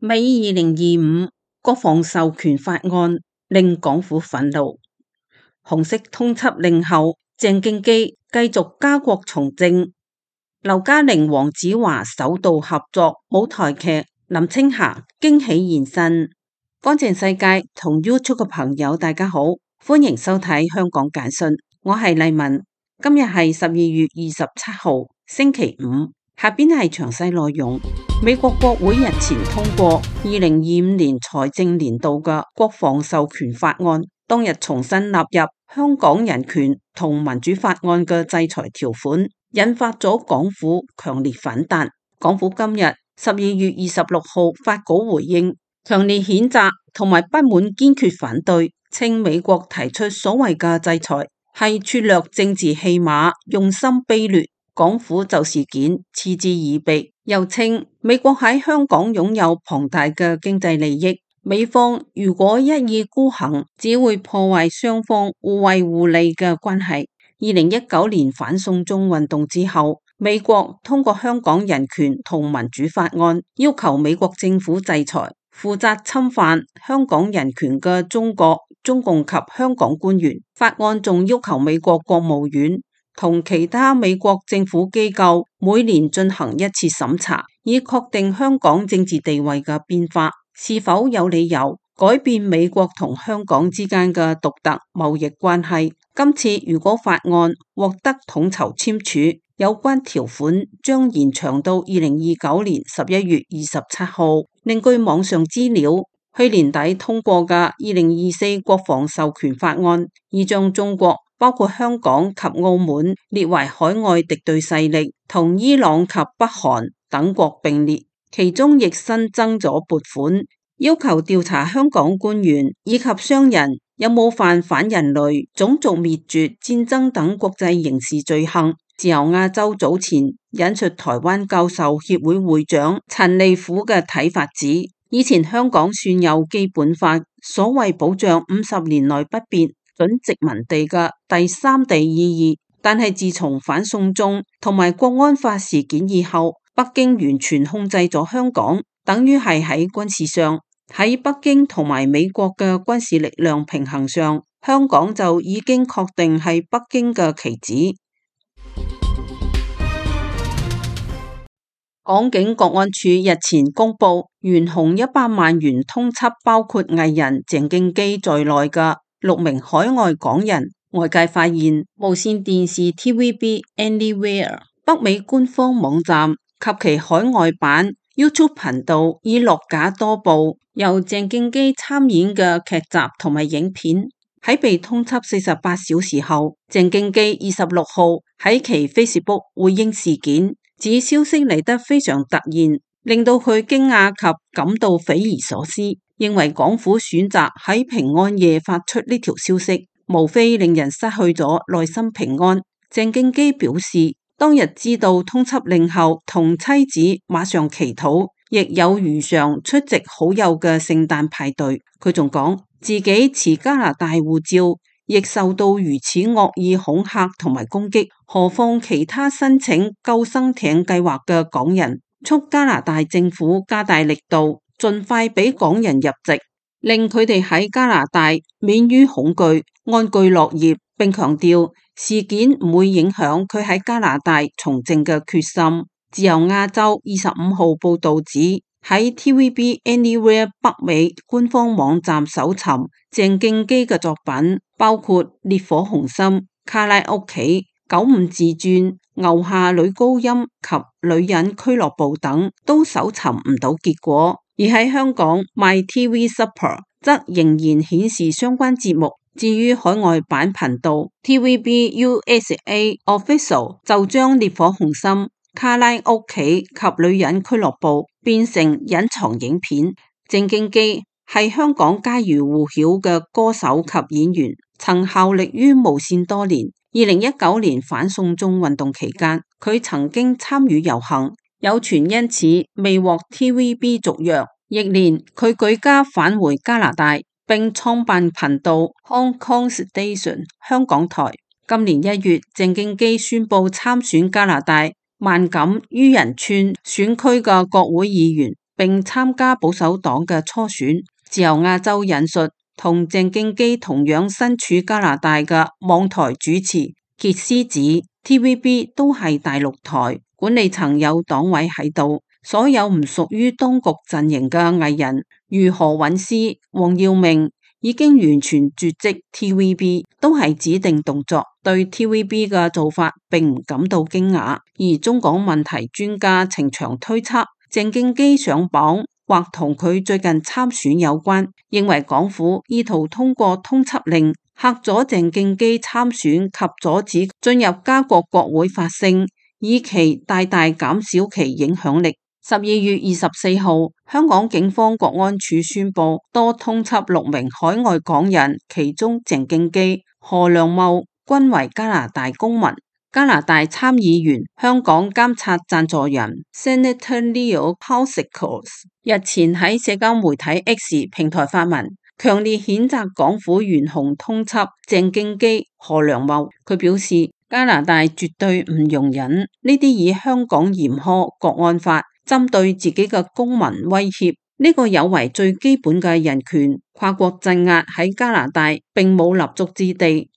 美2025國防授權法案令港府憤怒，紅色通緝令後，鄭敬基繼續家國從政，劉嘉玲、黃子華首度合作舞台劇，林青霞驚喜現身。乾淨世界同 YouTube 嘅朋友大家好，歡迎收睇香港簡訊，我係麗文。今日係12月27號星期五，下邊係詳細內容。美國國會日前通過2025年財政年度嘅國防授權法案，當日重新納入香港人權同民主法案嘅制裁條款，引發咗港府強烈反彈。港府今日12月26號發稿回應，強烈譴責同埋不滿堅決反對，稱美國提出所謂嘅制裁係拙劣政治戲碼，用心卑劣。港府就事件嗤之以鼻，又稱美國喺香港擁有龐大嘅經濟利益，美方如果一意孤行，只會破壞雙方互惠互利嘅關係。2019年反送中運動之後，美國通過香港人權同民主法案，要求美國政府制裁負責侵犯香港人權嘅中國、中共及香港官員。法案仲要求美國國務院同其他美國政府機構每年進行一次審查，以確定香港政治地位嘅變化是否有理由改變美國同香港之間嘅獨特貿易關係。今次如果法案獲得統籌簽署，有關條款將延長到2029年11月27號。另據網上資料，去年底通過嘅2024國防授權法案，已將中國包括香港及澳門列為海外敵對勢力，同伊朗及北韓等國並列，其中亦新增咗撥款，要求調查香港官員以及商人有冇犯反人類、種族滅絕、戰爭等國際刑事罪行。自由亞洲早前引述台灣教授協會會長陳利虎嘅睇法指，以前香港算有基本法，所謂保障50年內不變準殖民地嘅第三地意義，但係自從反送中同埋國安法事件以後，北京完全控制咗香港，等於係喺軍事上，喺北京同埋美國嘅軍事力量平衡上，香港就已經確定係北京嘅棋子。港警國安處日前公布懸紅100萬元通緝包括藝人鄭敬基在內嘅6名海外港人。外界發現無線電視 TVB Anywhere 北美官方網站及其海外版 YouTube 頻道已落架多部由鄭敬基參演嘅劇集同埋影片。喺被通緝48小時後，鄭敬基26號喺其 Facebook 回應事件，指消息嚟得非常突然，令到佢驚訝及感到匪夷所思，認為港府選擇喺平安夜發出呢條消息，無非令人失去咗內心平安。鄭敬基表示，當日知道通緝令後，同妻子馬上祈禱，亦有如常出席好友嘅聖誕派對。佢仲講自己持加拿大護照，亦受到如此惡意恐嚇同埋攻擊，何況其他申請救生艇計劃嘅港人，促加拿大政府加大力度，盡快俾港人入籍，令佢哋喺加拿大免於恐懼，安居樂業，並強調事件唔會影響佢喺加拿大從政嘅決心。自由亞洲25號報道指，喺 TVB Anywhere 北美官方網站搜尋鄭敬基嘅作品，包括《烈火雄心》、《卡拉屋企》、《95自傳》、《牛下女高音》及《女人俱樂部》等，都搜尋唔到結果。而喺香港 MyTV Super 則仍然顯示相關節目。至於海外版頻道 TVB USA Official 就將《烈火雄心》、卡拉屋企及女人俱樂部變成隱藏影片。鄭敬基係香港家喻戶曉嘅歌手及演員，曾效力於無線多年。2019年反送中運動期間，佢曾經參與遊行，有傳因此未獲 TVB 續約。翌年佢舉家返回加拿大，並創辦頻道 Hong Kong Station 香港台。今年1月，鄭敬基宣布參選加拿大萬錦於仁村選區嘅國會議員，並參加保守黨嘅初選。自由亞洲引述同鄭敬基同樣身處加拿大嘅網台主持傑斯指 TVB 都係大陸台，管理層有黨委喺度，所有唔屬於當局陣營嘅藝人如何韻詩、黃耀明已經完全絕跡 TVB 都係指定動作，對 TVB 嘅做法並唔感到驚訝。而中港問題專家程翔推測鄭敬基上榜或同佢最近參選有關，認為港府意圖通過通緝令嚇阻鄭敬基參選及阻止進入加國國會發聲，以期大大減少其影響力。12月24號，香港警方國安處宣布多通緝6名海外港人，其中鄭敬基、何良懋均為加拿大公民。加拿大參議員、香港監察贊助人 Senator Leo Paulsikolas 日前喺社交媒體 X 平台發文，強烈譴責港府懸紅通緝鄭敬基、何良懋。佢表示，加拿大絕對唔容忍呢啲以香港嚴苛國安法針對自己嘅公民威脅，呢個有違最基本嘅人權。跨國鎮壓喺加拿大並冇立足之地。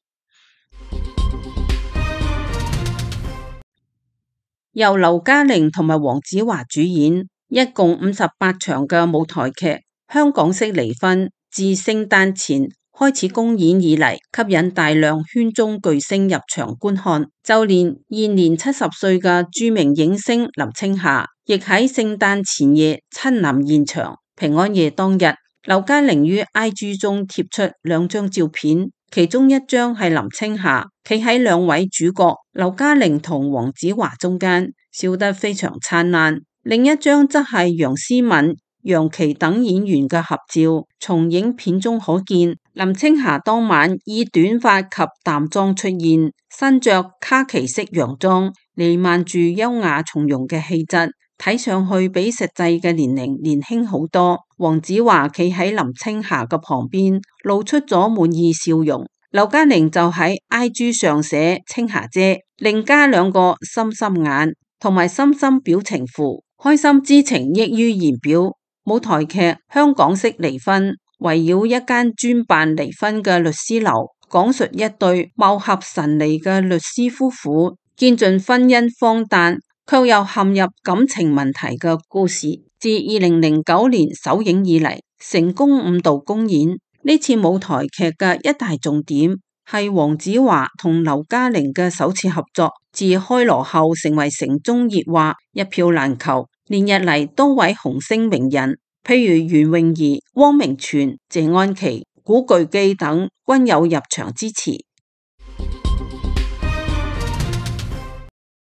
由劉嘉玲同埋黃子華主演，一共58場嘅舞台劇，香港式離婚自聖誕前開始公演以嚟，吸引大量圈中巨星入場觀看，就連現年70歲嘅著名影星林青霞，亦喺聖誕前夜親臨現場。平安夜當日，劉嘉玲於 IG 中貼出2張照片，其中一張係林青霞企喺2位主角劉嘉玲同黃子華中間，笑得非常燦爛；另一張則係楊思敏、楊琪等演員嘅合照。從影片中可見，林青霞當晚以短髮及淡妝出現，身着卡其色洋裝，彌漫住優雅從容嘅氣質，睇上去比實際嘅年齡年輕好多。黃子華企喺林青霞嘅旁邊，露出咗滿意笑容。劉嘉玲就喺 IG 上寫青霞姐，另加2個心心眼同埋心心表情符，開心之情溢於言表。舞台劇《香港式離婚》圍繞一間專辦離婚嘅律師樓，講述一對貌合神離嘅律師夫婦見盡婚姻荒誕，卻又陷入感情問題嘅故事。自2009年首映以嚟，成功5度公演。呢次舞台劇嘅一大重點係黃子華同劉嘉玲嘅首次合作，自開鑼後成為城中熱話，一票難求。連日嚟多位紅星名人，譬如袁詠儀、汪明荃、謝安琪、古巨基等均有入場支持。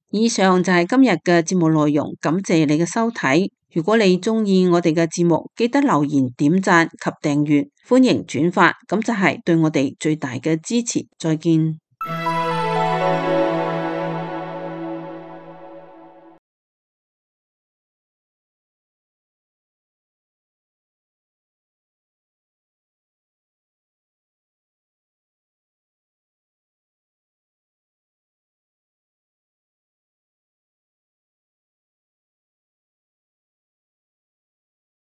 以上就係今日嘅節目內容，感謝你嘅收睇。如果你鍾意我哋嘅節目，記得留言、點讚及訂閱，歡迎轉發，咁就係對我哋最大嘅支持。再見。